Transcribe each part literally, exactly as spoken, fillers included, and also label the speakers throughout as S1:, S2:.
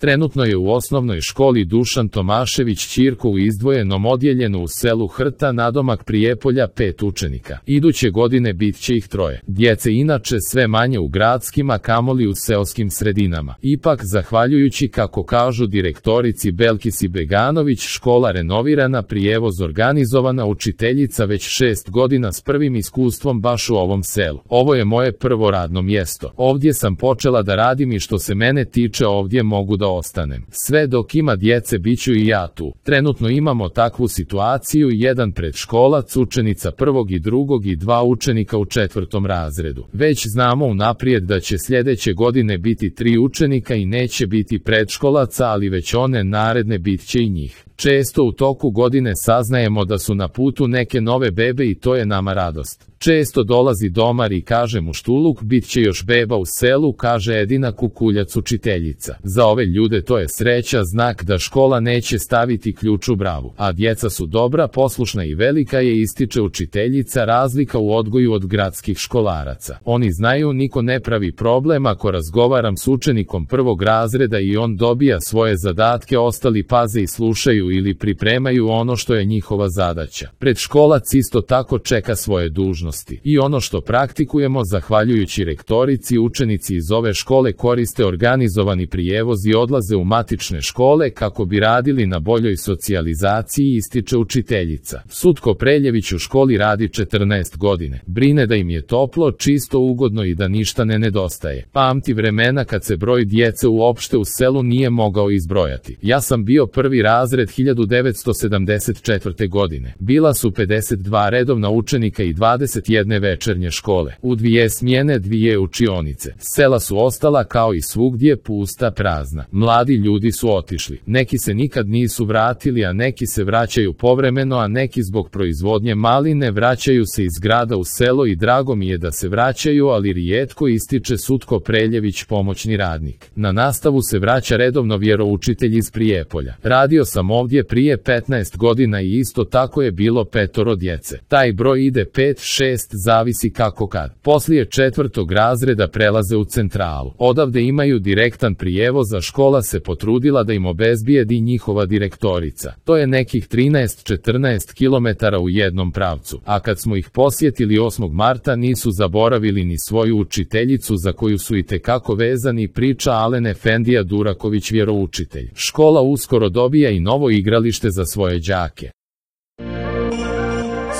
S1: Trenutno je u osnovnoj školi Dušan Tomašević Ćirko u izdvojenom odjeljenu u selu Hrta nadomak Prijepolja pet učenika. Iduće godine bit će ih troje. Djece inače sve manje u gradskim, a kamoli u seoskim sredinama. Ipak, zahvaljujući, kako kažu direktorici Belkisi Beganović, škola renovirana, prijevoz organizovana, učiteljica već šest godina s prvim iskustvom baš u ovom selu. Ovo je moje prvo radno mjesto. Ovdje sam počela da radim i što se mene tiče ovdje mogu da ostanem. Sve dok ima djece biću i ja tu. Trenutno imamo takvu situaciju, jedan predškolac, učenica prvog i drugog i dva učenika u četvrtom razredu. Već znamo unaprijed da će sljedeće godine biti tri učenika i neće biti predškolaca, ali već one naredne bit će i njih. Često u toku godine saznajemo da su na putu neke nove bebe i to je nama radost. Često dolazi domar i kaže mu Štuluk, bit će još beba u selu, kaže Edina Kukuljac, učiteljica. Za ove ljude to je sreća, znak da škola neće staviti ključ u bravu. A djeca su dobra, poslušna i velika je, ističe učiteljica, razlika u odgoju od gradskih školaraca. Oni znaju, niko ne pravi problem ako razgovaram s učenikom prvog razreda i on dobija svoje zadatke, ostali paze i slušaju ili pripremaju ono što je njihova zadaća. Predškolac isto tako čeka svoje dužnosti. I ono što praktikujemo, zahvaljujući rektorici, učenici iz ove škole koriste organizovani prijevoz i odlaze u matične škole kako bi radili na boljoj socijalizaciji, ističe učiteljica. Sutko Preljević u školi radi četrnaest godine. Brine da im je toplo, čisto, ugodno i da ništa ne nedostaje. Pamti vremena kad se broj djece uopšte u selu nije mogao izbrojati. Ja sam bio prvi razred hiljadu devetsto sedamdeset četvrte. godine. Bila su pedeset dva redovna učenika i dvadeset jedne večernje škole. U dvije smjene, dvije učionice. Sela su ostala kao i svugdje pusta, prazna. Mladi ljudi su otišli. Neki se nikad nisu vratili, a neki se vraćaju povremeno, a neki zbog proizvodnje maline vraćaju se iz grada u selo i drago mi je da se vraćaju, ali rijetko, ističe Sutko Preljević, pomoćni radnik. Na nastavu se vraća redovno vjeroučitelj iz Prijepolja. Radio sam ovdje prije petnaest godina i isto tako je bilo petoro djece. Taj broj ide pet, šest, zavisi kako kad. Poslije četvrtog razreda prelaze u centralu. Odavde imaju direktan prijevoz, a škola se potrudila da im obezbijedi njihova direktorica. To je nekih trinaest do četrnaest kilometara u jednom pravcu. A kad smo ih posjetili osmog marta nisu zaboravili ni svoju učiteljicu za koju su itekako vezani, priča Alen Efendija Duraković, vjeroučitelj. Škola uskoro dobija i novo igralište za svoje đake.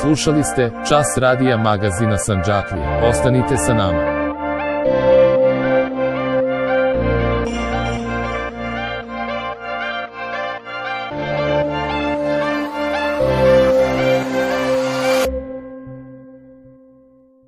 S1: Slušali ste Čas radija magazina Sandžaklija. Ostanite sa nama.